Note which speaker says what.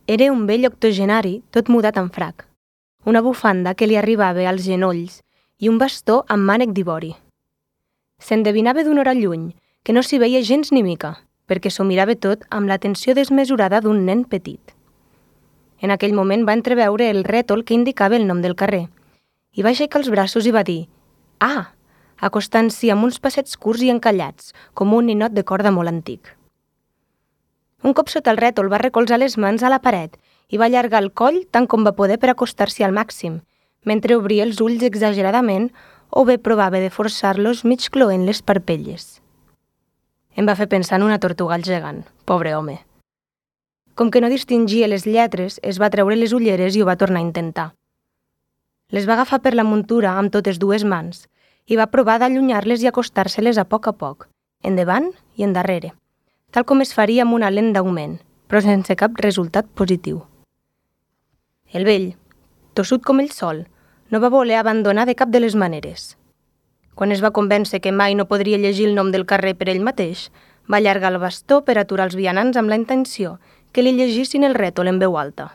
Speaker 1: Era un vell octogenari tot mudat en frac, una bufanda que li arribava als genolls i un bastó amb mànec d'ivori. S'endevinava d'una hora lluny que no s'hi veia gens ni mica, perquè s'ho mirava tot amb l'atenció desmesurada d'un nen petit. En aquell moment va entreveure el rètol que indicava el nom del carrer i va aixecar els braços i va dir «Ah!», acostant-s'hi amb uns passets curts i encallats, com un ninot de corda molt antic. Un cop sota el rètol va recolzar les mans a la paret i va allargar el coll tant com va poder per acostar-s'hi al màxim, mentre obria els ulls exageradament o bé provava de forçar-los mig cloent les parpelles. Em va fer pensar en una tortuga gegant, pobre home. Com que no distingia les lletres, es va treure les ulleres i ho va tornar a intentar. Les va agafar per la muntura amb totes dues mans i va provar d'allunyar-les i acostar-se-les a poc, endavant i endarrere, tal com es faria amb una lent d'augment, però sense cap resultat positiu. El vell, tossut com ell sol, no va voler abandonar de cap de les maneres. Quan es va convèncer que mai no podria llegir el nom del carrer per ell mateix, va allargar el bastó per aturar els vianants amb la intenció que li llegissin el rètol en veu alta.